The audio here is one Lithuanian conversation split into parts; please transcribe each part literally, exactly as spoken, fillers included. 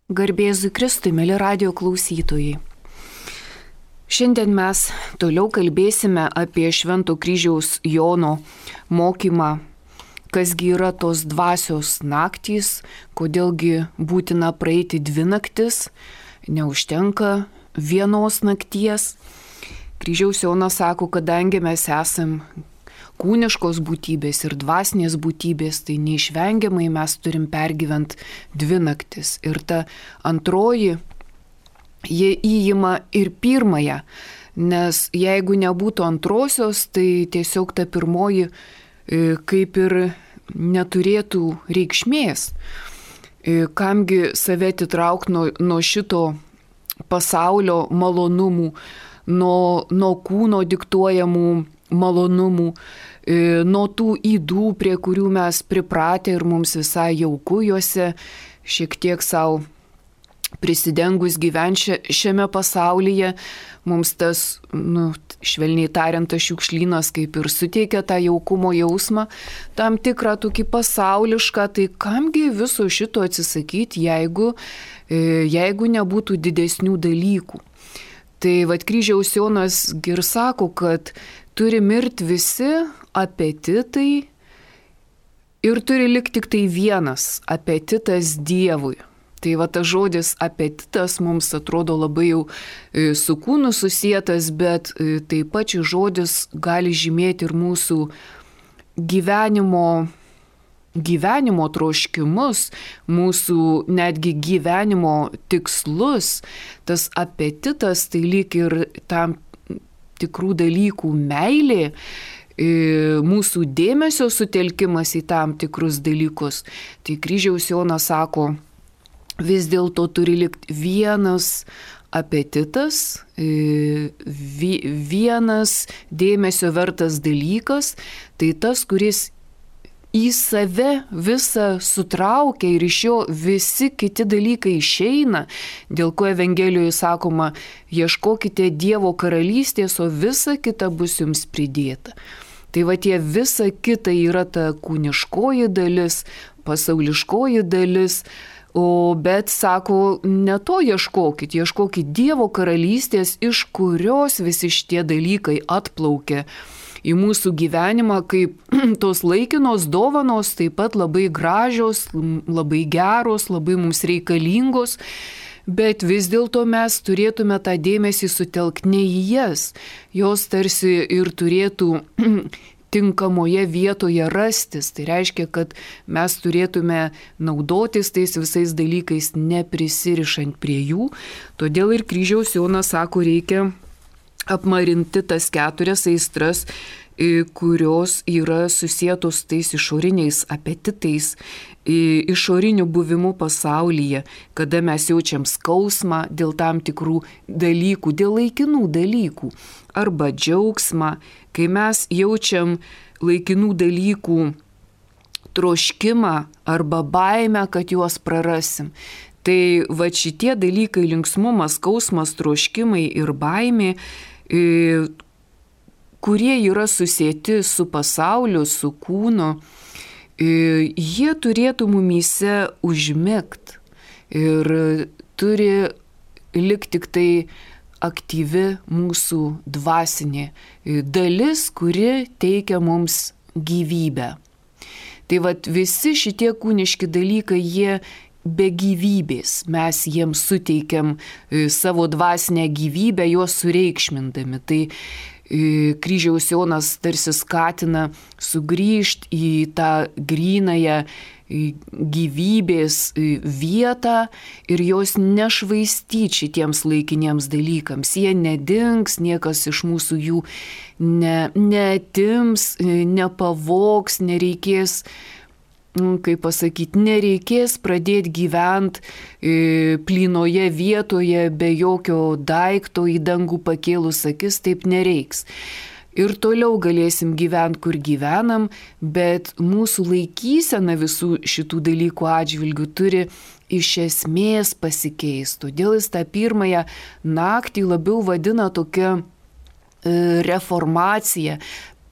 Garbėzui Kristui, mėly radio klausytojai. Šiandien mes toliau kalbėsime apie Švento kryžiaus Jono mokymą, kasgi yra tos dvasios naktys, kodėlgi būtina praeiti dvi naktis, neužtenka vienos nakties. Kryžiaus Jonas sako, kadangi mes esam kūniškos būtybės ir dvasinės būtybės, tai neišvengiamai mes turim pergyventi dvi naktis. Ir ta antroji, jie įima ir pirmąją, nes jeigu nebūtų antrosios, tai tiesiog ta pirmoji kaip ir neturėtų reikšmės. Kamgi save atitraukti nuo, nuo šito pasaulio malonumų, nuo, nuo kūno diktuojamų malonumų, nuo tų ydų, prie kurių mes pripratę ir mums visai jauku juose, šiek tiek savo prisidengus gyventi šiame pasaulyje, mums tas, nu, švelniai tariant, tas šiukšlynas kaip ir suteikia tą jaukumo jausmą, tam tikrą tokį pasaulišką, tai kamgi viso šito atsisakyti, jeigu, jeigu nebūtų didesnių dalykų. Tai vat Kryžiaus Jonas ir sako, kad turi mirti visi apetitai ir turi likti tik tai vienas apetitas Dievui. Tai va tas žodis apetitas mums atrodo labai jau su kūnu susietas, bet taip pat šis žodis gali žymėti ir mūsų gyvenimo, gyvenimo troškimus, mūsų netgi gyvenimo tikslus. Tas apetitas tai lyg ir tam tikrų dalykų meilė, mūsų dėmesio sutelkimas į tam tikrus dalykus. Tai Kryžiaus Jonas sako, vis dėlto turi likti vienas apetitas, vienas dėmesio vertas dalykas, tai tas, kuris į save visą sutraukia ir iš jo visi kiti dalykai išeina, dėl ko Evangelijoje sakoma, ieškokite Dievo karalystės, o visa kita bus jums pridėta. Tai va tie visa kita yra ta kūniškoji dalis, pasauliškoji dalis, o bet sako, ne to ieškokit, ieškokit Dievo karalystės, iš kurios visi šitie dalykai atplaukia į mūsų gyvenimą, kaip tos laikinos dovanos, taip pat labai gražios, labai geros, labai mums reikalingos, bet vis dėlto mes turėtume tą dėmesį sutelkti ne į jas, jos tarsi ir turėtų tinkamoje vietoje rastis. Tai reiškia, kad mes turėtume naudotis tais visais dalykais, neprisirišant prie jų. Todėl ir Kryžiaus Jonas sako, reikia apmarinti tas keturias aistras, kurios yra susietos tais išoriniais apetitais, išoriniu buvimu pasaulyje, kada mes jaučiam skausmą dėl tam tikrų dalykų, dėl laikinų dalykų, arba džiaugsmą, kai mes jaučiam laikinų dalykų troškimą arba baimę, kad juos prarasim. Tai va šitie dalykai, linksmumas, skausmas, troškimai ir baimė, kurie yra susieti su pasauliu, su kūnu, jie turėtų mumyse užmigti ir turi likti tik tai aktyvi mūsų dvasinė dalis, kuri teikia mums gyvybę. Tai vat visi šitie kūniški dalykai, jie be gyvybės, mes jiems suteikiam savo dvasinę gyvybę, juos sureikšmindami. Tai Kryžiaus Jonas tarsi skatina sugrįžti į tą grynąją gyvybės vietą ir jos nešvaistyti šitiems laikiniems dalykams. Jie nedings, niekas iš mūsų jų ne, neatims, nepavogs, nereikės, kaip pasakyti, nereikės pradėti gyventi plynoje vietoje be jokio daikto į dangų pakėlus akis, taip nereiks. Ir toliau galėsim gyventi, kur gyvenam, bet mūsų laikysena visų šitų dalykų atžvilgių turi iš esmės pasikeisti. Todėl jis tą pirmąją naktį labiau vadina tokia reformacija,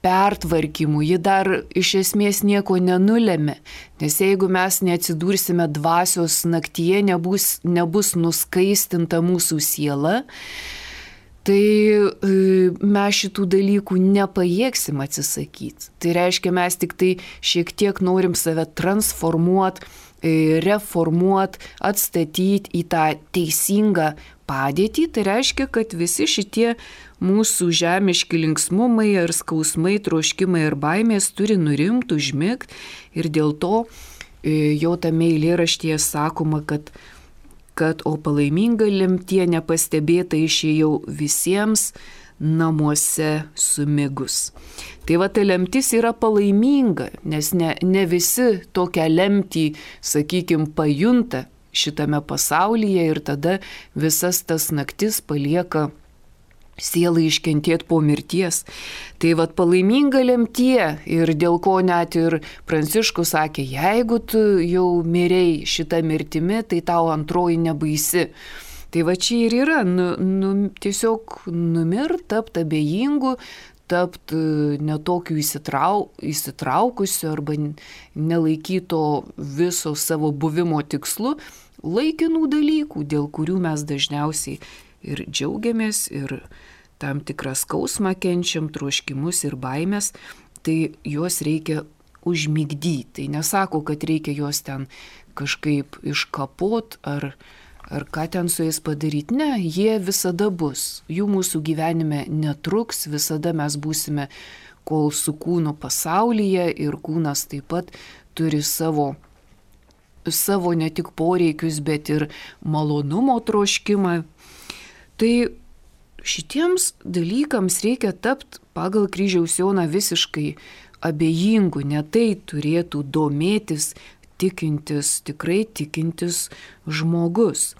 pertvarkymų, ji dar iš esmės nieko nenulėmė, nes jeigu mes neatsidursime dvasios naktyje, nebus, nebus nuskaistinta mūsų siela, tai mes šitų dalykų nepajėgsim atsisakyti. Tai reiškia, mes tik tai šiek tiek norim save transformuoti, reformuoti, atstatyti į tą teisingą padėtį. Tai reiškia, kad visi šitie mūsų žemiški linksmumai ar skausmai, troškimai ir baimės turi nurimti, užmigti. Ir dėl to jau tame eilėraštyje sakoma, kad kad o palaiminga lemtie nepastebėta išėjau visiems namuose sumigus. Tai va, ta lemtis yra palaiminga, nes ne, ne visi tokią lemtį, sakykime, pajunta šitame pasaulyje ir tada visas tas naktis palieka sielai iškentėti po mirties. Tai vat palaiminga lemtie ir dėl ko net ir Pranciškus sakė, jeigu tu jau mirei šitą mirtimi, tai tau antroji nebaisi. Tai va čia ir yra, nu, nu, tiesiog numirt, tapt abejingu, tapt netokiu įsitrau, įsitraukusiu arba nelaikyto viso savo buvimo tikslu, laikinų dalykų, dėl kurių mes dažniausiai ir džiaugiamės, ir tam tikrą skausmą kenčiam, troškimus ir baimės, tai juos reikia užmigdyti. Tai nesako, kad reikia juos ten kažkaip iškapot ar, ar ką ten su jais padaryti. Ne, jie visada bus. Jų mūsų gyvenime netruks, visada mes būsime kol su kūnu pasaulyje ir kūnas taip pat turi savo savo ne tik poreikius, bet ir malonumo troškimą. Tai šitiems dalykams reikia tapti pagal kryžiaus Joną visiškai abejingu, ne tai turėtų domėtis tikintis, tikrai tikintis žmogus.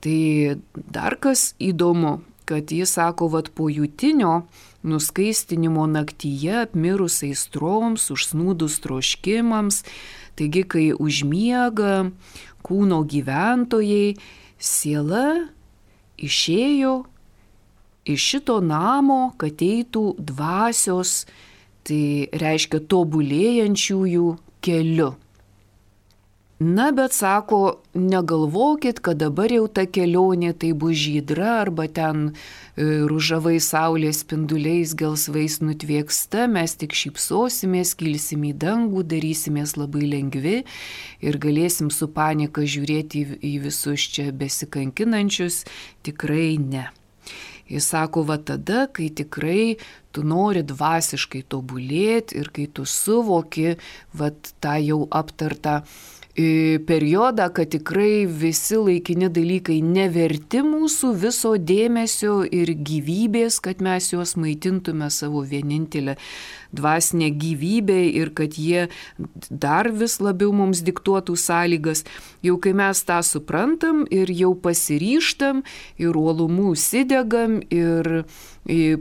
Tai dar kas įdomu, kad jis sako, vat po jūtinio nuskaistinimo naktyje apmirus aistroms, užsnūdus troškimams, taigi kai užmiega kūno gyventojai, siela išėjo iš šito namo, kad eitų dvasios, tai reiškia tobulėjančiųjų keliu. Na, bet sako, negalvokit, kad dabar jau ta kelionė tai bus žydra arba ten ružavai saulės spinduliais gelsvais nutvieksta, mes tik šypsosimės, kilsim į dangų, darysimės labai lengvi ir galėsim su panika žiūrėti į, į visus čia besikankinančius, tikrai ne. Jis sako, va tada, kai tikrai tu nori dvasiškai tobulėti ir kai tu suvoki, va tą jau aptartą periodą, kad tikrai visi laikini dalykai neverti mūsų viso dėmesio ir gyvybės, kad mes juos maitintume savo vienintelę dvasinę gyvybę ir kad jie dar vis labiau mums diktuotų sąlygas. Jau kai mes tą suprantam ir jau pasiryžtam ir uolumu užsidegam ir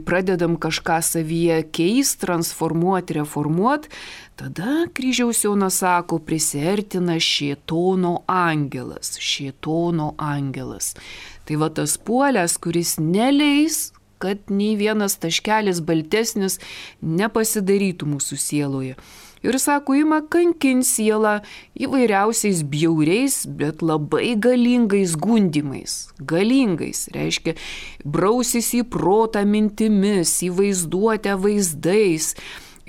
pradedam kažką savyje keist, transformuoti, reformuoti, tada kryžiaus Jonas sako, prisiartina šėtono angelas, šėtono angelas. Tai va tas puolęs, kuris neleis, kad nei vienas taškelis baltesnis nepasidarytų mūsų sieloje. Ir sako, ima kankin sielą įvairiausiais bjauriais, bet labai galingais gundimais. Galingais, reiškia, brausis į protą mintimis, į vaizduotę vaizdais.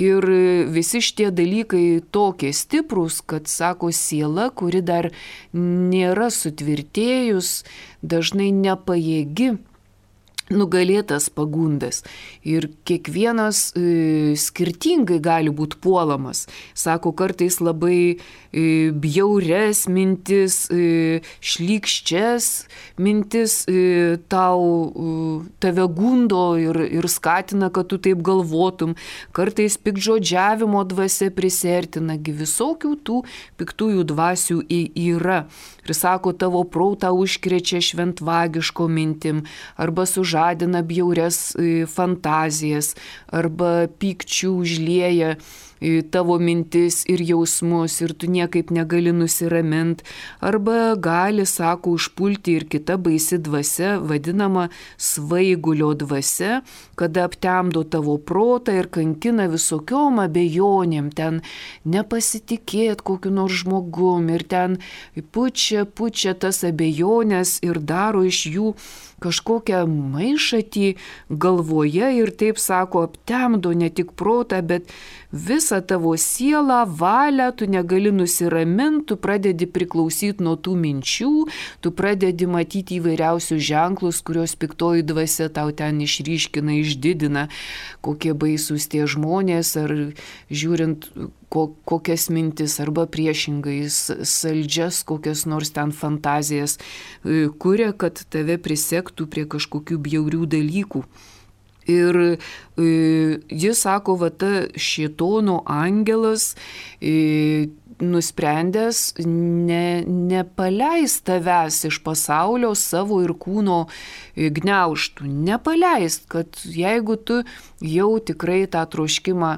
Ir visi šitie dalykai tokie stiprus, kad, sako, siela, kuri dar nėra sutvirtėjus, dažnai nepajėgi nugalėtas pagundas. Ir kiekvienas e, skirtingai gali būti puolamas. Sako, kartais labai e, bjaures mintis, e, šlykščias mintis e, tau, e, tave gundo ir, ir skatina, kad tu taip galvotum. Kartais piktžodžiavimo dvasia prisertina, visokių tų piktųjų dvasių yra. Ir sako, tavo protą užkrečia šventvagiško mintim, arba sužadina bjaurias fantazijas, arba pykčių užlieja tavo mintis ir jausmus ir tu niekaip negali nusiraminti. Arba gali, sako, užpulti ir kita baisi dvasia, vadinama svaigulio dvasia, kada aptemdo tavo protą ir kankina visokiom abejonėm, ten nepasitikėt kokiu nors žmogum ir ten pučia, pučia tas abejonės ir daro iš jų kažkokią maišatį galvoje ir taip, sako, aptemdo ne tik protą, bet visą tavo sielą, valią, tu negali nusiraminti, tu pradedi priklausyti nuo tų minčių, tu pradedi matyti įvairiausius ženklus, kurios piktoji dvasia tau ten išryškina, išdidina, kokie baisūs tie žmonės, ar žiūrint ko, kokias mintis, arba priešingai saldžias, kokias nors ten fantazijas kuria, kad tave prisektų prie kažkokių bjaurių dalykų. Ir e, jis sako, va ta šėtono angelas e, nusprendęs ne, nepaleis tavęs iš pasaulio savo ir kūno gniaužtų. Nepaleis, kad jeigu tu jau tikrai tą troškimą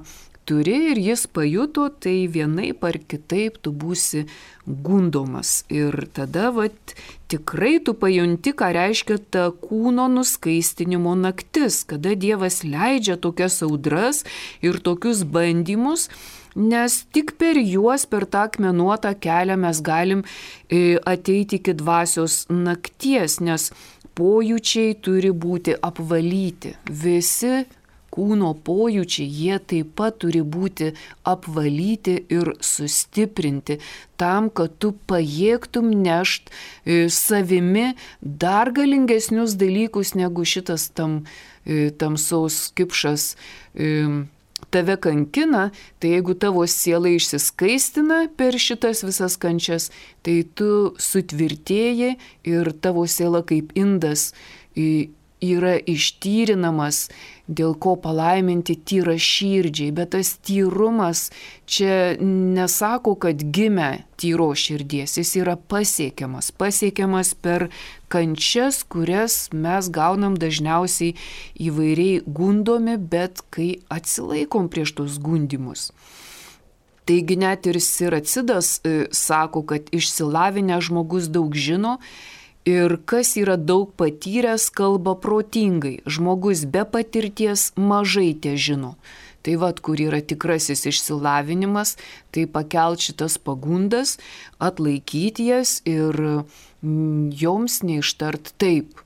turi ir jis pajuto, tai vienaip ar kitaip tu būsi gundomas. Ir tada vat, tikrai tu pajunti, ką reiškia ta kūno nuskaistinimo naktis, kada Dievas leidžia tokias audras ir tokius bandymus, nes tik per juos, per tą akmenuotą kelią mes galim ateiti iki dvasios nakties, nes pojūčiai turi būti apvalyti. Visi kūno pojūčiai, jie taip pat turi būti apvalyti ir sustiprinti tam, kad tu pajėgtum nešt savimi dar galingesnius dalykus, negu šitas tam, tamsaus kipšas tave kankina. Tai jeigu tavo siela išsiskaistina per šitas visas kančias, tai tu sutvirtėji ir tavo siela kaip indas yra ištyrinamas, dėl ko palaiminti tyra širdžiai, bet tas tyrumas čia nesako, kad gimė tyro širdies, jis yra pasiekiamas, pasiekiamas per kančias, kurias mes gaunam dažniausiai įvairiai gundomi, bet kai atsilaikom prieš tos gundimus. Taigi net ir Siracidas e, sako, kad išsilavinęs žmogus daug žino, ir kas yra daug patyręs, kalba protingai. Žmogus be patirties mažai te žino. Tai vat, kur yra tikrasis išsilavinimas, tai pakelt šitas pagundas, atlaikyti jas ir joms neištart taip.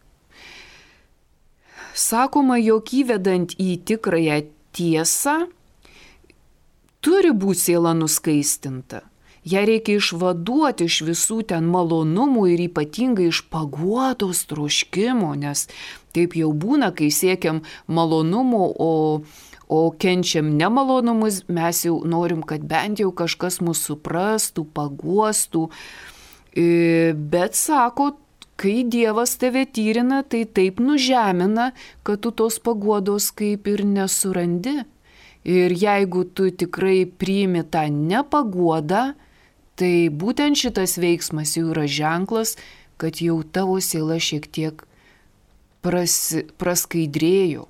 Sakoma, jog įvedant į tikrąją tiesą, turi būti siela nuskaistinta. Ją reikia išvaduoti iš visų ten malonumų ir ypatingai iš paguodos troškimo, nes taip jau būna, kai siekiam malonumų, o, o kenčiam nemalonumus, mes jau norim, kad bent jau kažkas mus suprastų, paguostų. Bet sako, kai Dievas tave tyrina, tai taip nužemina, kad tu tos paguodos kaip ir nesurandi. Ir jeigu tu tikrai priimi tą nepaguodą, tai būtent šitas veiksmas jau yra ženklas, kad jau tavo siela šiek tiek prasi, praskaidrėjo,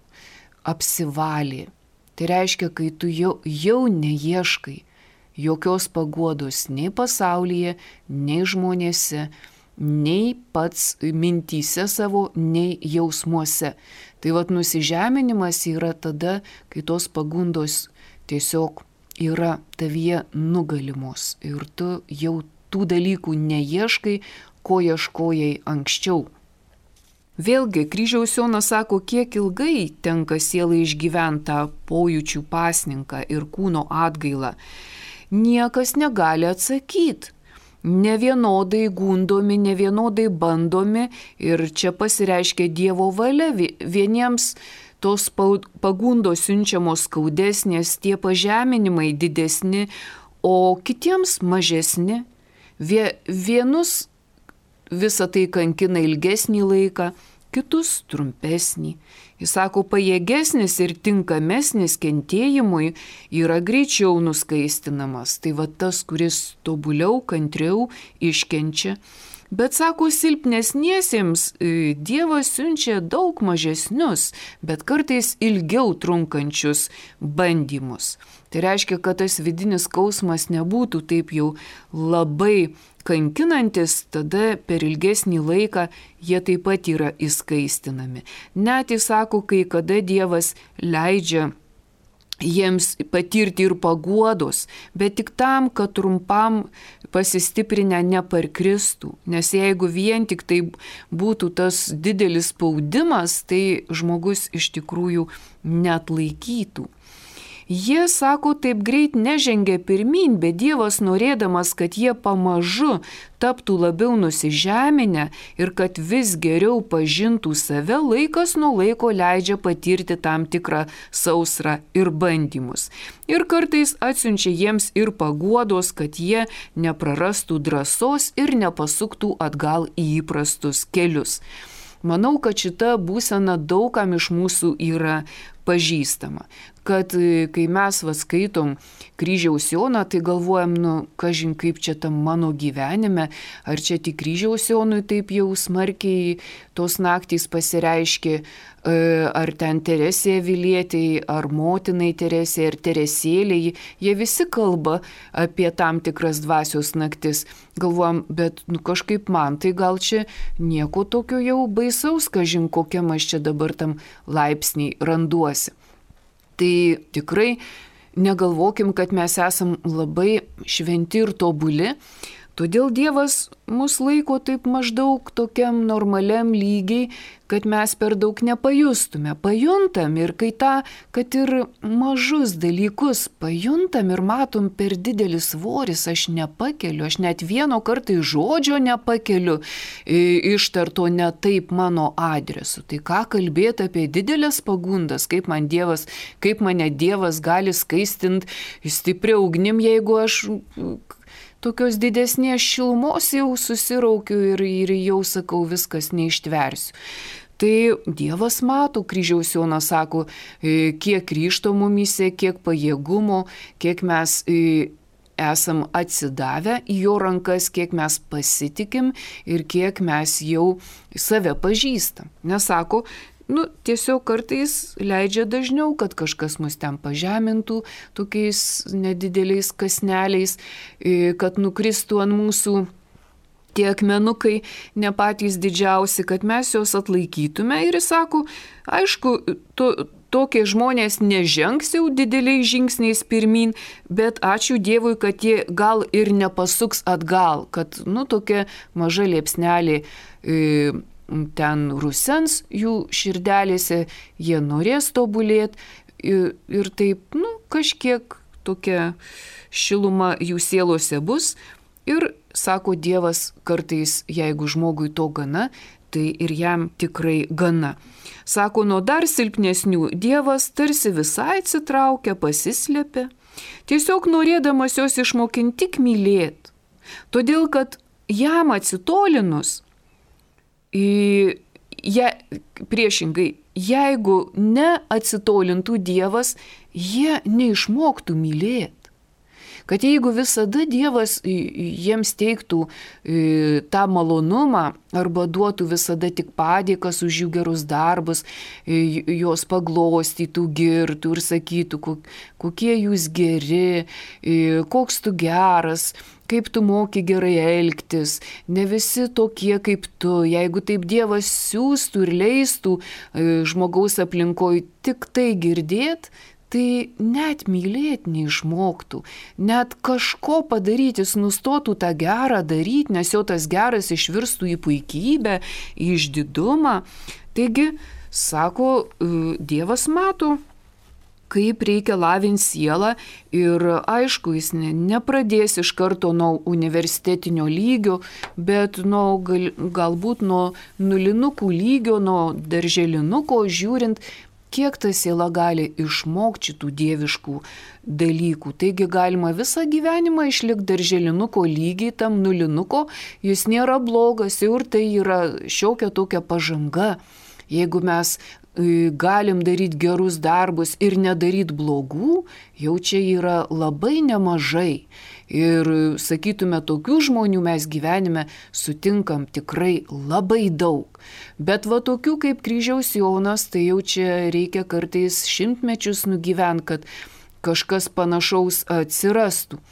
apsivalė. Tai reiškia, kai tu jau, jau neieškai jokios paguodos nei pasaulyje, nei žmonėse, nei pats mintyse savo, nei jausmuose. Tai vat nusižeminimas yra tada, kai tos pagundos tiesiog yra tavyje nugalimos ir tu jau tų dalykų neieškai, ko ieškojai anksčiau. Vėlgi, kryžiaus Jonas sako, kiek ilgai tenka sielai išgyventą pojūčių pasninką ir kūno atgailą. Niekas negali atsakyti. Nevienodai gundomi, nevienodai bandomi ir čia pasireiškia Dievo valia. Vieniems tos pagundos siunčiamos skaudesnės, tie pažeminimai didesni, o kitiems mažesni. Vienus visą tai kankina ilgesnį laiką, kitus trumpesnį. Jis sako, pajėgesnis ir tinkamesnis kentėjimui yra greičiau nuskaistinamas. Tai va tas, kuris tobuliau, kantriau iškenčia. Bet sako, silpnesniesiems Dievas siunčia daug mažesnius, bet kartais ilgiau trunkančius bandymus. Tai reiškia, kad tas vidinis skausmas nebūtų taip jau labai kankinantis, tada per ilgesnį laiką jie taip pat yra įskaistinami. Net jis sako, kai kada Dievas leidžia jiems patirti ir paguodos, bet tik tam, kad trumpam pasistiprinę neparkristų. Nes jeigu vien tik tai būtų tas didelis spaudimas, tai žmogus iš tikrųjų neatlaikytų. Jie, sako, taip greit nežengia pirmin, bet Dievas norėdamas, kad jie pamažu taptų labiau nusižeminę ir kad vis geriau pažintų save, laikas nuo laiko leidžia patirti tam tikrą sausrą ir bandymus. Ir kartais atsiunčia jiems ir paguodos, kad jie neprarastų drąsos ir nepasuktų atgal į įprastus kelius. Manau, kad šita būsena daugam iš mūsų yra pažįstama. Kad kai mes va skaitom kryžiaus Joną, tai galvojam, nu, kažin kaip čia tam mano gyvenime, ar čia tik kryžiaus Jonui taip jau smarkiai tos naktys pasireiškė, ar ten Teresė Avilietei, ar motinai Teresė, ar Teresėlei, jie visi kalba apie tam tikras dvasios naktis. Galvojam, bet nu, kažkaip man tai gal čia nieko tokio jau baisaus, kažin kokiam aš čia dabar tam laipsniai randuosi. Tai tikrai negalvokim, kad mes esam labai šventi ir tobuli, todėl Dievas mus laiko taip maždaug tokiam normaliam lygiai, kad mes per daug nepajustume. Pajuntam ir kai tą, kad ir mažus dalykus pajuntam ir matom per didelis svoris, aš nepakeliu, aš net vieno kartai žodžio nepakeliu ištarto ne taip mano adresu. Tai ką kalbėti apie didelės pagundas, kaip man Dievas, kaip mane Dievas gali skaistinti stiprią ugnim, jeigu aš tokios didesnės šilumos jau susiraukiu ir, ir jau sakau, viskas neištversiu. Tai Dievas mato, kryžiaus Jonas sako, kiek ryžto mumyse, kiek pajėgumo, kiek mes esam atsidavę į jo rankas, kiek mes pasitikim ir kiek mes jau save pažįstam. Nesako, nu, tiesiog kartais leidžia dažniau, kad kažkas mus ten pažemintų tokiais nedideliais kasneliais, kad nukristų ant mūsų tie akmenukai ne patys didžiausi, kad mes juos atlaikytume. Ir jis sako, aišku, to, tokie žmonės nežengs jau dideliais žingsniais pirmin, bet ačiū Dievui, kad jie gal ir nepasuks atgal, kad, nu, tokia maža liepsnelė e, ten rusens jų širdelėse, jie norės tobulėti ir, ir taip, nu, kažkiek tokia šiluma jų sielose bus. Ir sako Dievas kartais, jeigu žmogui to gana, tai ir jam tikrai gana. Sako, nuo dar silpnesnių Dievas tarsi visai atsitraukia, pasislėpia, tiesiog norėdamas jos išmokinti tik mylėti. Todėl, kad jam atsitolinus, ja, priešingai, jeigu neatsitolintų Dievas, jie neišmoktų mylėti. Kad jeigu visada Dievas jiems teiktų tą malonumą arba duotų visada tik padėkas už jų gerus darbus, jos paglostytų, girtų ir sakytų, kokie jūs geri, koks tu geras, kaip tu moki gerai elgtis, ne visi tokie kaip tu. Jeigu taip Dievas siūstų ir leistų žmogaus aplinkoje tik tai girdėt, tai net mylėti neišmoktų, net kažko padaryti, jis nustotų tą gerą daryti, nes jau tas geras išvirstų į puikybę, į išdidumą. Taigi, sako, Dievas mato, kaip reikia lavinti sielą ir aišku, jis ne, nepradės iš karto nuo universitetinio lygio, bet nuo, gal, galbūt nuo nulinukų lygio, nuo darželinuko žiūrint, kiek ta siela gali išmokti šitų dieviškų dalykų. Taigi galima visą gyvenimą išlikti darželinuko lygiai, tam nulinuko, jis nėra blogas, jau ir tai yra šiokia tokia pažanga. Jeigu mes galim daryti gerus darbus ir nedaryti blogų, jau čia yra labai nemažai. Ir sakytume, tokių žmonių mes gyvenime sutinkam tikrai labai daug. Bet va tokių kaip kryžiaus Jonas, tai jau čia reikia kartais šimtmečius nugyvent, kad kažkas panašaus atsirastų.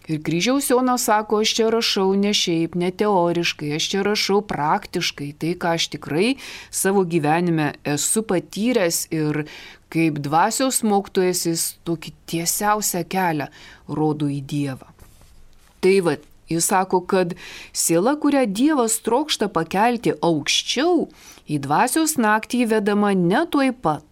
Ir kryžiaus Jonas sako, aš čia rašau ne šiaip, ne teoriškai, aš čia rašau praktiškai, tai ką aš tikrai savo gyvenime esu patyręs ir kaip dvasios mokytojas jis tokį tiesiausią kelią rodo į Dievą. Tai va, jis sako, kad siela, kurią Dievas trokšta pakelti aukščiau, į dvasios naktį įvedama ne tuoj pat.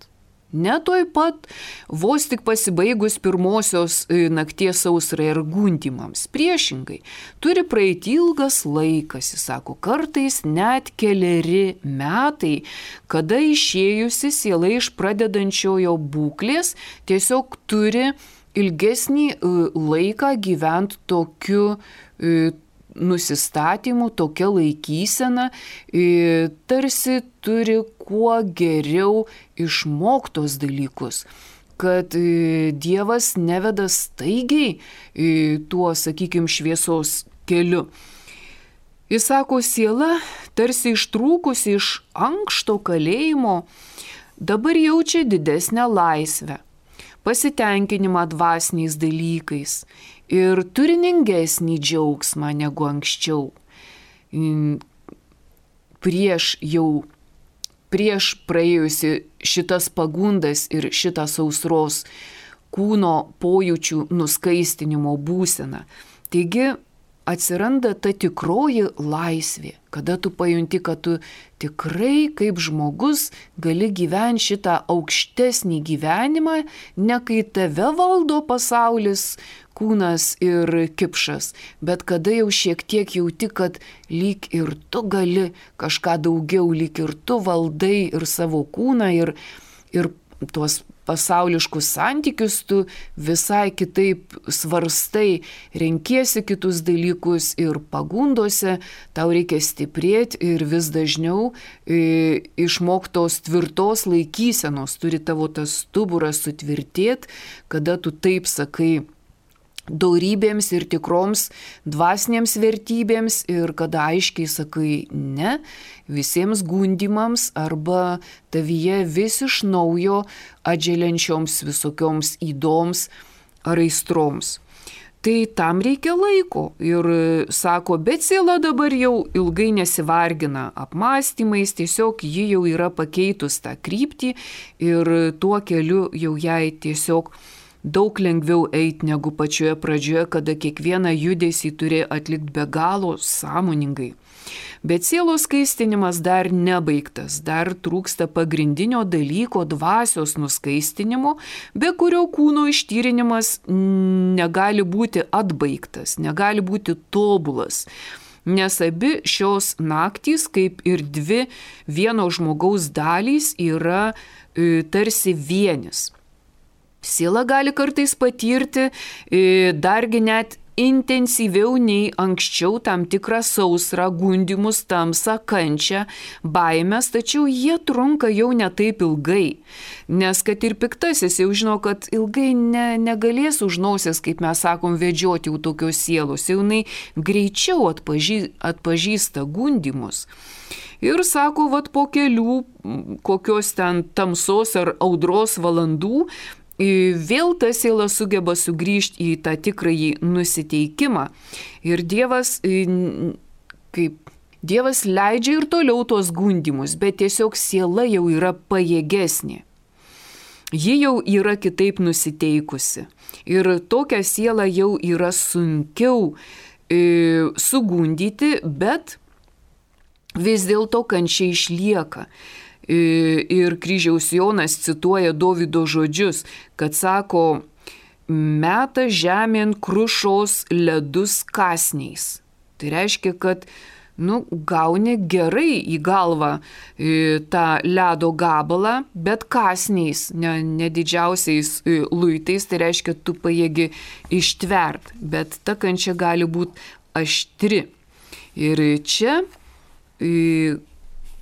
Ne tuoj pat, vos tik pasibaigus pirmosios nakties sausrai ir gundymams. Priešingai, turi praeiti ilgas laikas, jis sako, kartais net keleri metai, kada išėjusi siela iš pradedančiojo būklės tiesiog turi ilgesnį laiką gyventi tokiu nusistatymu, tokia laikysena, tarsi turi kuo geriau išmoktos dalykus, kad Dievas neveda staigiai tuo, sakykime, šviesos keliu. Jis sako, siela, tarsi ištrūkusi iš ankšto kalėjimo, dabar jaučia didesnę laisvę, pasitenkinimą dvasiniais dalykais ir turiningesnį džiaugsmą negu anksčiau. Prieš jau, prieš praėjusi šitas pagundas ir šitą sausros kūno pojūčių nuskaistinimo būseną. Taigi atsiranda ta tikroji laisvė, kada tu pajunti, kad tu tikrai kaip žmogus gali gyventi šitą aukštesnį gyvenimą, ne kai tave valdo pasaulis, kūnas ir kipšas, bet kada jau šiek tiek jauti, kad lyg ir tu gali kažką daugiau, lyg ir tu valdai ir savo kūną ir, ir tuos pasauliškus santykius tu visai kitaip svarstai, renkiesi kitus dalykus ir pagundose tau reikia stiprėti ir vis dažniau e, išmoktos tvirtos laikysenos, turi tavo tas stuburas sutvirtėti, kada tu taip sakai dorybėms ir tikroms dvasinėms vertybėms ir kada aiškiai sakai ne visiems gundymams arba tavyje vis iš naujo atželiančioms visokioms įdoms ar aistroms. Tai tam reikia laiko ir sako, bet siela dabar jau ilgai nesivargina apmąstymais, tiesiog ji jau yra pakeitus tą kryptį ir tuo keliu jau jai tiesiog daug lengviau eiti negu pačioje pradžioje, kada kiekvieną judesį turi atlikti be galo sąmoningai. Bet sielos skaistinimas dar nebaigtas, dar trūksta pagrindinio dalyko dvasios nuskaistinimo, be kurio kūno ištyrinimas negali būti atbaigtas, negali būti tobulas. Nes abi šios naktys, kaip ir dvi vieno žmogaus dalys, yra e, tarsi vienis. Siela gali kartais patirti dargi net intensyviau nei anksčiau tam tikrą sausrą, gundymus, tamsą, kančią, baimės, tačiau jie trunka jau ne taip ilgai. Nes kad ir piktasis jau žino, kad ilgai ne, negalės už nosies, kaip mes sakom, vedžioti jau tokios sielos, jau jinai greičiau atpažy, atpažįsta gundymus. Ir sako, vat po kelių kokios ten tamsos ar audros valandų, vėl ta siela sugeba sugrįžti į tą tikrąjį nusiteikimą. Ir Dievas, kaip Dievas leidžia ir toliau tos gundymus, bet tiesiog siela jau yra pajėgesnė. Ji jau yra kitaip nusiteikusi. Ir tokią sielą jau yra sunkiau e, sugundyti, bet vis dėlto kančia išlieka. Ir kryžiaus Jonas cituoja Dovydo žodžius, kad sako, meta žemėn krušos ledus kąsniais. Tai reiškia, kad nu, gauni gerai į galvą e, tą ledo gabalą, bet kąsniais, ne, ne didžiausiais e, luitais, tai reiškia, tu pajėgi ištvert, bet ta kančia gali būti aštri. Ir čia e,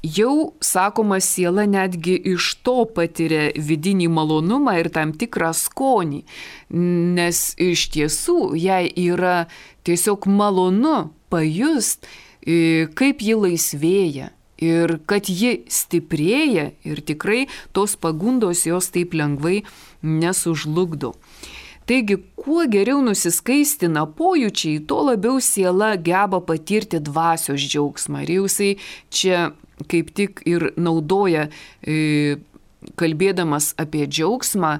jau, sakoma, siela netgi iš to patiria vidinį malonumą ir tam tikrą skonį, nes iš tiesų jai yra tiesiog malonu pajust, kaip ji laisvėja ir kad ji stiprėja ir tikrai tos pagundos jos taip lengvai nesužlugdo. Taigi, kuo geriau nusiskaistina pojūčiai, tuo labiau siela geba patirti dvasios džiaugsmą. Ir jau jisai čia kaip tik ir naudoja, kalbėdamas apie džiaugsmą,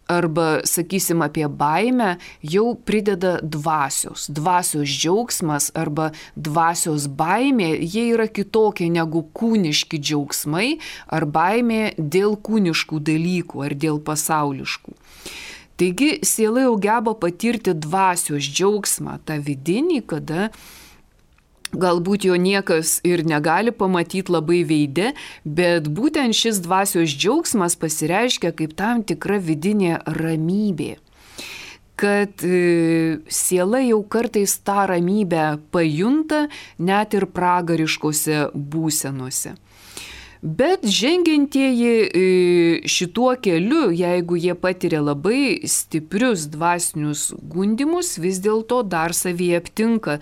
arba, sakysim, apie baimę, jau prideda dvasios. Dvasios džiaugsmas arba dvasios baimė, jie yra kitokie negu kūniški džiaugsmai ar baimė dėl kūniškų dalykų ar dėl pasauliškų. Taigi, siela jau geba patirti dvasios džiaugsmą, tą vidinį, kada galbūt jo niekas ir negali pamatyti labai veide, bet būtent šis dvasios džiaugsmas pasireiškia kaip tam tikra vidinė ramybė. Kad e, siela jau kartais tą ramybę pajunta net ir pragariškose būsenose. Bet žengiantieji šituo keliu, jeigu jie patiria labai stiprius dvasinius gundymus, vis dėlto dar savyje aptinka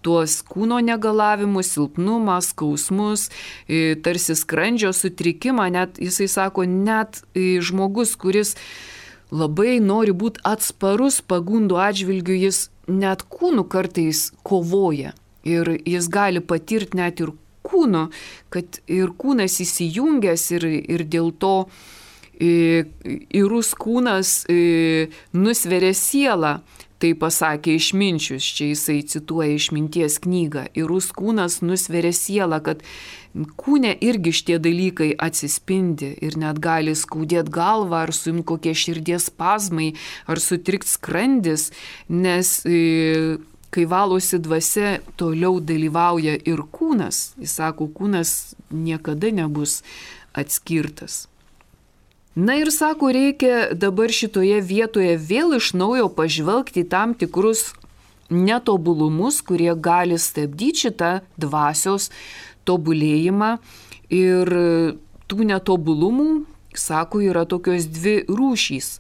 tuos kūno negalavimus, silpnumą, skausmus, tarsi skrandžio sutrikimą. Net, jisai sako, net žmogus, kuris labai nori būti atsparus pagundų atžvilgių, jis net kūnu kartais kovoja ir jis gali patirti net ir kūnu, kad ir kūnas įsijungęs ir, ir dėl to įrus kūnas nusveria sielą, tai pasakė Išminčius, čia jisai cituoja Išminties knygą, įrus kūnas nusveria sielą, kad kūne irgi šitie dalykai atsispindi ir net gali skaudėti galvą ar suimti kokie širdies spazmai ar sutrikt skrandis, nes kai valosi dvasia, toliau dalyvauja ir kūnas. Jis sako, kūnas niekada nebus atskirtas. Na ir sako, reikia dabar šitoje vietoje vėl iš naujo pažvelgti tam tikrus netobulumus, kurie gali stabdyti šitą dvasios tobulėjimą. Ir tų netobulumų, sako, yra tokios dvi rūšys.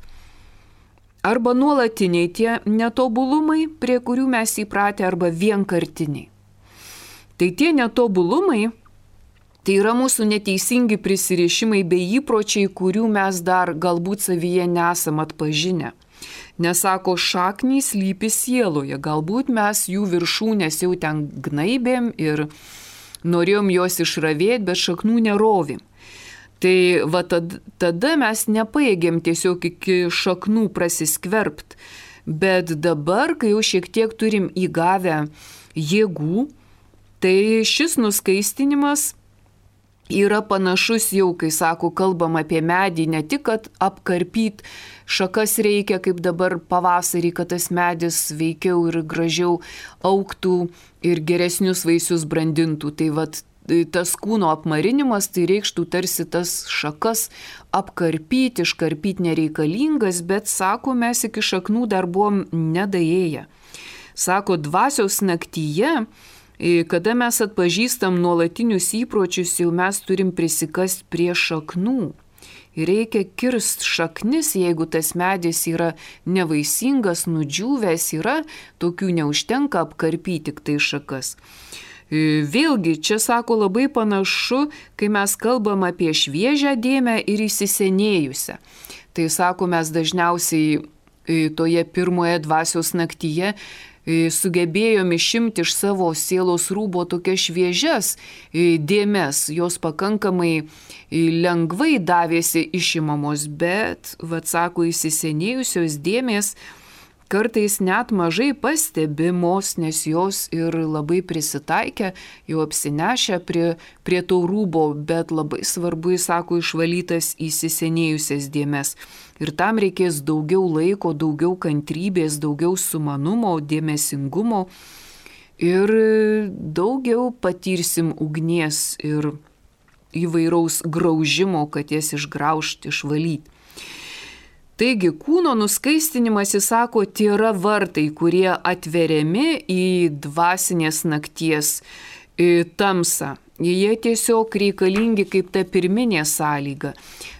Arba nuolatiniai tie netobulumai, prie kurių mes įpratę, arba vienkartiniai. Tai tie netobulumai, tai yra mūsų neteisingi prisirišimai bei įpročiai, kurių mes dar galbūt savyje nesam atpažinę. Nesako, šaknys slypi sieloje, galbūt mes jų viršūnės jau ten gnaibėm ir norėjom juos išravėti, bet šaknų nerovim. Tai va tad, tada mes nepajėgėm tiesiog iki šaknų prasiskverbt, bet dabar, kai jau šiek tiek turim įgavę jėgų, tai šis nuskaistinimas yra panašus jau, kai sako, kalbam apie medį, ne tik, kad apkarpyt šakas reikia, kaip dabar pavasarį, kad tas medis veikiau ir gražiau augtų ir geresnius vaisius brandintų. Tai vat tas kūno apmarinimas, tai reikštų tarsi tas šakas apkarpyti, iškarpyti nereikalingas, bet, sako, mes iki šaknų dar buvom nedaėję. Sako, dvasios naktyje, kada mes atpažįstam nuolatinius įpročius, jau mes turim prisikast prie šaknų. Reikia kirst šaknis, jeigu tas medis yra nevaisingas, nudžiūvęs yra, tokių neužtenka apkarpyti tik tai šakas. Vėlgi, čia sako labai panašu, kai mes kalbam apie šviežią dėmę ir įsisenėjusią. Tai sako, mes dažniausiai toje pirmoje dvasios naktyje sugebėjom išimti iš savo sielos rūbo tokias šviežias dėmes, jos pakankamai lengvai davėsi išimamos, bet, vat sako, įsisenėjusios dėmės kartais net mažai pastebimos, nes jos ir labai prisitaikę, jau apsinešę prie, prie to rūbo, bet labai svarbu, jis sako, išvalytas įsisenėjusias dėmes. Ir tam reikės daugiau laiko, daugiau kantrybės, daugiau sumanumo, dėmesingumo ir daugiau patirsim ugnies ir įvairaus graužimo, kad jas išgraužti, išvalyti. Taigi, kūno nuskaistinimas, jis sako, tai yra vartai, kurie atveriami į dvasinės nakties į tamsą. jie tiesiog reikalingi kaip ta pirminė sąlyga.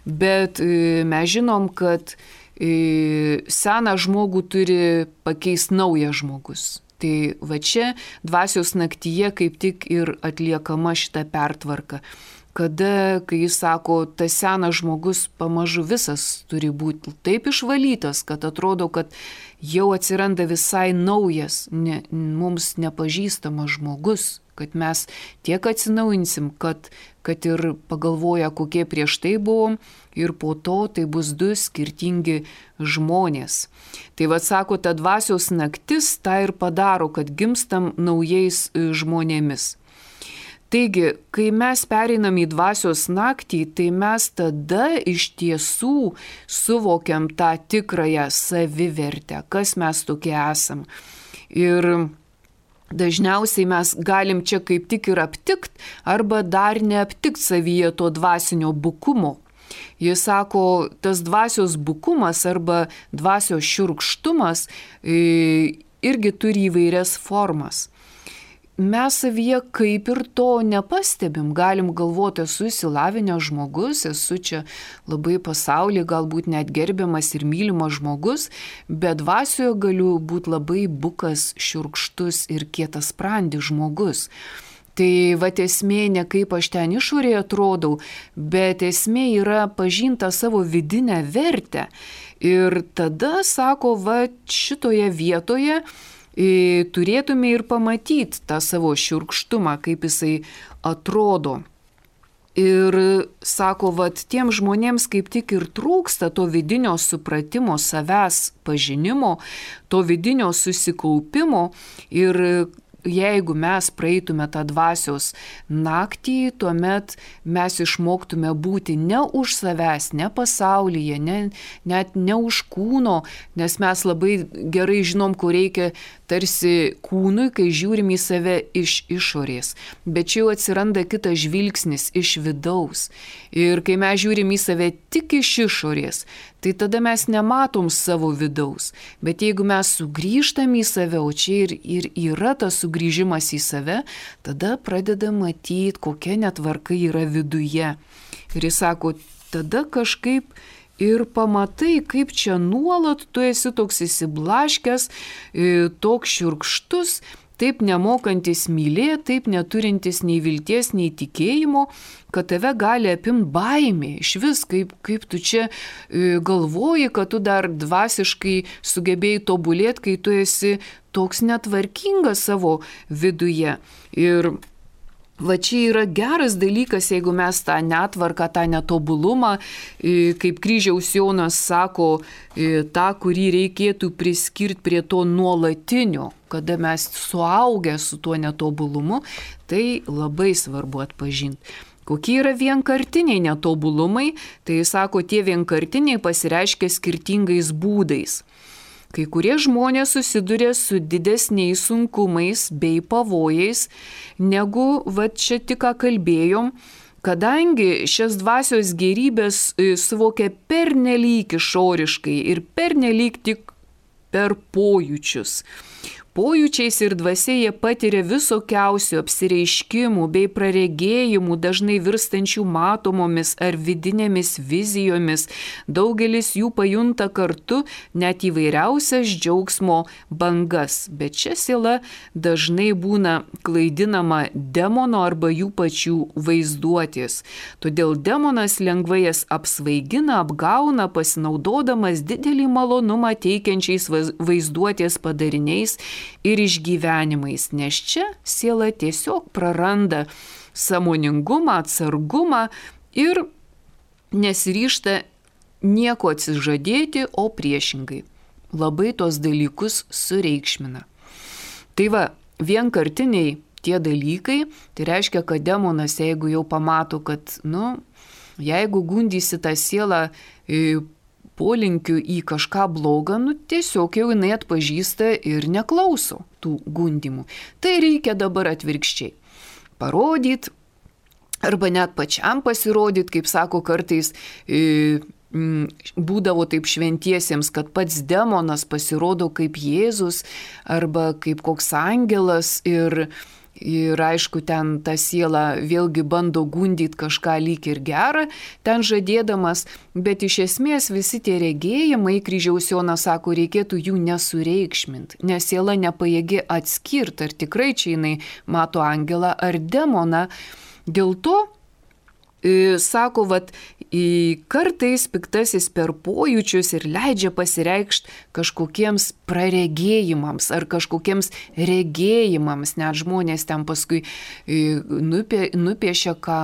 Bet mes žinom, kad seną žmogų turi pakeisti naujas žmogus. Tai va čia dvasios naktyje kaip tik ir atliekama šita pertvarka. Kada, kai jis sako, tas senas žmogus pamažu visas turi būti taip išvalytas, kad atrodo, kad jau atsiranda visai naujas, ne, mums nepažįstamas žmogus, kad mes tiek atsinaujinsim, kad, kad ir pagalvoja, kokie prieš tai buvom, ir po to tai bus du skirtingi žmonės. Tai vad sako, ta dvasios naktis tą ir padaro, kad gimstam naujais žmonėmis. Taigi, kai mes pereinam į dvasios naktį, tai mes tada iš tiesų suvokiam tą tikrąją savivertę, kas mes tokie esam. Ir dažniausiai mes galim čia kaip tik ir aptikt, arba dar neaptikt savyje to dvasinio bukumo. Jis sako, tas dvasios bukumas arba dvasios šiurkštumas irgi turi įvairias formas. Mes savyje kaip ir to nepastebim, galim galvoti, esu išsilavinęs žmogus, esu čia labai pasaulyje, galbūt net gerbiamas ir mylimas žmogus, bet dvasioje galiu būti labai bukas, šiurkštus ir kietasprandis žmogus. Tai va esmė ne kaip aš ten išorėje atrodau, bet esmė yra pažinta savo vidinę vertę. Ir tada, sako, va šitoje vietoje turėtume ir pamatyti tą savo šiurkštumą, kaip jisai atrodo. Ir sako, vat tiem žmonėms kaip tik ir trūksta to vidinio supratimo, savęs pažinimo, to vidinio susikaupimo. Ir jeigu mes praeitume tą dvasios naktį, tuomet mes išmoktume būti ne už savęs, ne pasaulyje, ne, net ne už kūno, nes mes labai gerai žinom, ko reikia tarsi kūnui, kai žiūrim į save iš išorės. Bet čia jau atsiranda kitas žvilgsnis iš vidaus. Ir kai mes žiūrim į save tik iš išorės, tai tada mes nematom savo vidaus. Bet jeigu mes sugrįžtam į save, o čia ir, ir yra tas sugrįžimas į save, tada pradeda matyti, kokia netvarka yra viduje. Ir jis sako, tada kažkaip ir pamatai, kaip čia nuolat tu esi toks įsiblaškęs, toks šiurkštus, taip nemokantis mylėti, taip neturintis nei vilties, nei tikėjimo, kad tave gali apimti baimė. Iš vis, kaip, kaip tu čia galvoji, kad tu dar dvasiškai sugebėjai tobulėti, kai tu esi toks netvarkingas savo viduje. Ir va čia yra geras dalykas, jeigu mes tą netvarką, tą netobulumą, kaip kryžiaus Jonas sako, tą, kurį reikėtų priskirti prie to nuolatinio, kada mes suaugę su tuo netobulumu, tai labai svarbu atpažinti. Kokie yra vienkartiniai netobulumai, tai jis sako, tie vienkartiniai pasireiškia skirtingais būdais. Kai kurie žmonės susiduria su didesniais sunkumais bei pavojais, negu va čia tik ką kalbėjom, kadangi šias dvasios gėrybės suvokia pernelyg išoriškai ir pernelyg tik per pojūčius. Pojūčiais ir dvasia jie patiria visokiausių apsireiškimų bei praregėjimų, dažnai virstančių matomomis ar vidinėmis vizijomis. Daugelis jų pajunta kartu net įvairiausias džiaugsmo bangas, bet čia siela dažnai būna klaidinama demono arba jų pačių vaizduotės. Todėl demonas lengvai jas apsvaigina, apgauna, pasinaudodamas didelį malonumą teikiančiais vaizduotės padariniais ir išgyvenimais, nes čia siela tiesiog praranda sąmoningumą, atsargumą ir nesiryžta nieko atsižadėti, o priešingai. Labai tos dalykus sureikšmina. Tai va, vienkartiniai tie dalykai, tai reiškia, kad demonas, jeigu jau pamato, kad, nu, jeigu gundysi tą sielą polinkiu į kažką blogą, nu tiesiog jau jinai atpažįsta ir neklauso tų gundymų. Tai reikia dabar atvirkščiai. Parodyti, arba net pačiam pasirodyti, kaip sako kartais, e, m, būdavo taip šventiesiems, kad pats demonas pasirodo kaip Jėzus, arba kaip koks angelas ir Ir aišku, ten ta siela vėlgi bando gundyti kažką lyg ir gerą, ten žadėdamas, bet iš esmės visi tie regėjimai, kryžiaus Jonas sako, reikėtų jų nesureikšminti, nes siela nepajėgi atskirti, ar tikrai čia jinai mato angelą ar demoną. Dėl to, sako, vat, kartais piktasis per pojūčius ir leidžia pasireikšti kažkokiems praregėjimams ar kažkokiems regėjimams. Net žmonės ten paskui nupie, nupiešia, ką,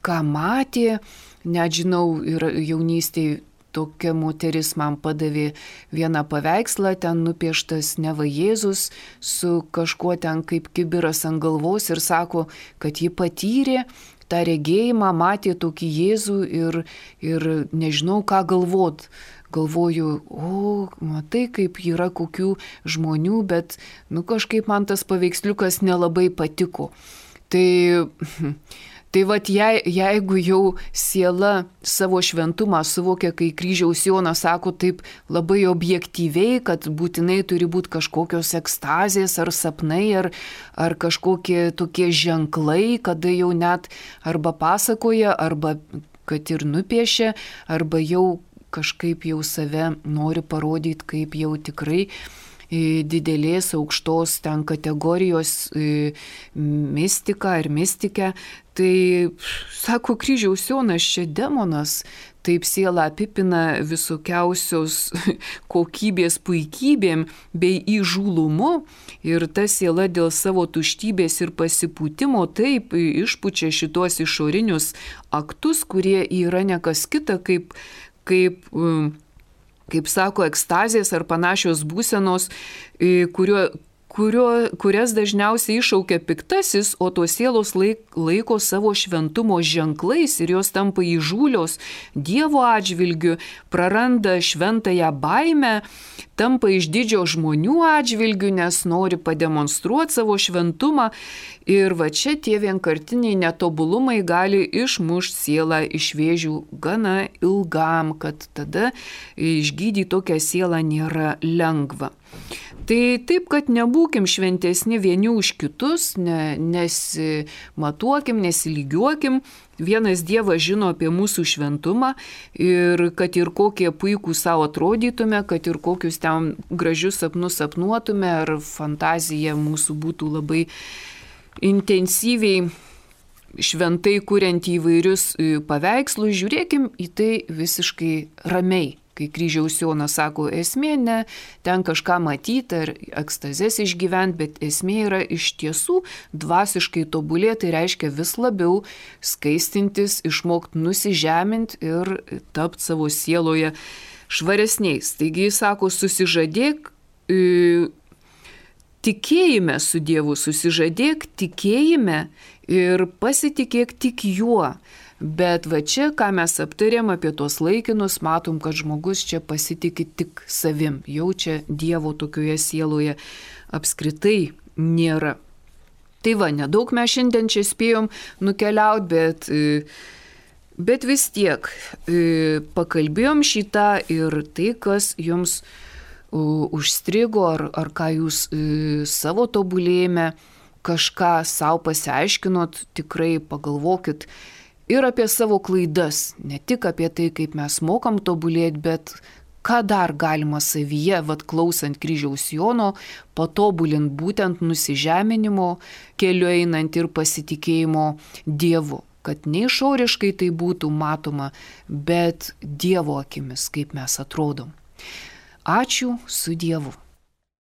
ką matė. Net žinau, ir jaunystėje tokia moteris man padavė vieną paveikslą, ten nupieštas neva Jėzus su kažkuo ten kaip kibiras ant galvos ir sako, kad ji patyrė tą regėjimą, matė tokį Jėzų ir, ir nežinau, ką galvot. Galvoju, o, matai, kaip yra kokių žmonių, bet, nu, kažkaip man tas paveiksliukas nelabai patiko. Tai, tai vat, je, jeigu jau siela savo šventumą suvokia, kai kryžiaus Jonas sako taip labai objektyviai, kad būtinai turi būti kažkokios ekstazės ar sapnai, ar, ar kažkokie tokie ženklai, kada jau net arba pasakoja, arba kad ir nupiešia, arba jau kažkaip jau save nori parodyti, kaip jau tikrai didelės aukštos ten kategorijos mistika ar mistikė. Tai, sako kryžiaus Jonas, čia demonas, taip sielą apipina visokiausios kokybės puikybėm bei įžūlumu ir ta siela dėl savo tuštybės ir pasipūtimo taip išpučia šitos išorinius aktus, kurie yra nekas kita kaip, kaip kaip sako, ekstazės ar panašios būsenos, kurio, kurio, kurias dažniausiai iššaukia piktasis, o tos sielos laik, laiko savo šventumo ženklais ir jos tampa įžūlios Dievo atžvilgiu, praranda šventąją baimę, tampa išdidžio žmonių atžvilgiu, nes nori pademonstruoti savo šventumą. Ir va čia tie vienkartiniai netobulumai gali išmušti sielą iš vėžių gana ilgam, kad tada išgydyti tokią sielą nėra lengva. Tai taip, kad nebūkim šventesni vieni už kitus, ne, nesimatuokim, nesilygiuokim. Vienas Dievas žino apie mūsų šventumą ir kad ir kokie puikūs savo atrodytume, kad ir kokius ten gražius sapnus sapnuotume, ar fantazija mūsų būtų labai intensyviai šventai kuriant įvairius paveikslus, žiūrėkim į tai visiškai ramiai. Kai kryžiaus Jonas sako, esmė ne ten kažką matyti ar ekstazės išgyventi, bet esmė yra iš tiesų dvasiškai tobulėti, tai reiškia vis labiau skaistintis, išmokti nusižeminti ir tapti savo sieloje švaresniais. Taigi jis sako, susižadėk, e, tikėjime su Dievu, susižadėk tikėjime ir pasitikėk tik juo. Bet va čia, ką mes aptarėm apie tuos laikinus, matom, kad žmogus čia pasitikė tik savim. Jau čia Dievo tokioje sieloje apskritai nėra. Tai va, nedaug mes šiandien čia spėjom nukeliauti, bet, bet vis tiek pakalbėjom šitą ir tai, kas jums užstrigo, ar, ar ką jūs savo tobulėjime kažką savo pasiaiškinot, tikrai pagalvokit ir apie savo klaidas, ne tik apie tai, kaip mes mokam tobulėti, bet ką dar galima savyje, vat klausant kryžiaus Jono, patobulint būtent nusižeminimo keliu einant ir pasitikėjimo Dievu, kad ne išoriškai tai būtų matoma, bet Dievo akimis, kaip mes atrodom. Ačiū, su Dievu.